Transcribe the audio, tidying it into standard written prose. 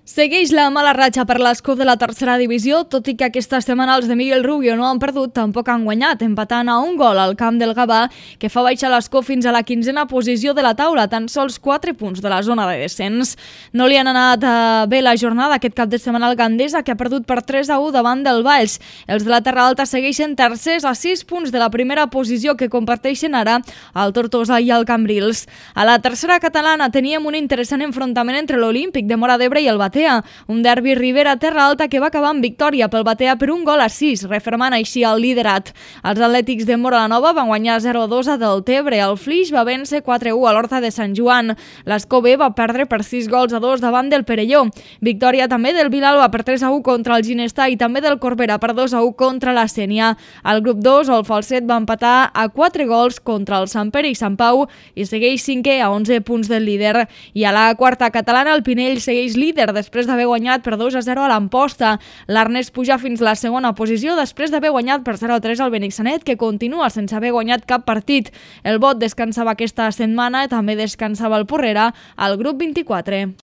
Segueix la mala ratxa per l'escó de la tercera divisió, tot i que aquesta setmana els de Miguel Rubio no han perdut, tampoc han guanyat, empatant a un gol al camp del Gavà, que fa baixar l'escó fins a la 15a posició de la taula, tan sols 4 punts de la zona de descens. No li han anat bé la jornada aquest cap de setmana al Gandesa, que ha perdut per 3-1 davant del Valls. Els de la Terra Alta segueixen tercers a 6 punts de la primera posició que comparteixen ara el Tortosa i el Cambrils. A la tercera catalana teníem un interessant enfrontament entre l'Olímpic de Móra d'Ebre i el Batea, un derbi Ribera-Terra Alta que va acabar amb victòria pel Batea per 1-6, refermant així el liderat. Els atlètics de Móra la Nova van guanyar 0-2 a Deltebre, el Flix va vèncer 4-1 a l'Horta de Sant Joan, l'Escó B va perdre per 6-2 davant del Perelló, victòria també del Vilalba per 3-1 contra el Ginestà i també del Corbera per 2-1 contra la Sénia. Al grup 2, el Falset va empatar a 4 gols contra el Sant Pere i Sant Pau i segueix 5è a 11 punts del líder. I a la quarta catalana, el Pinell segueix líder després d'haver guanyat per 2-0 a l'Amposta. L'Arnès puja fins a la segona posició després d'haver guanyat per 0-3 al Benissanet, que continua sense haver guanyat cap partit. El Bot descansava aquesta setmana i també descansava el Porrera al grup 24.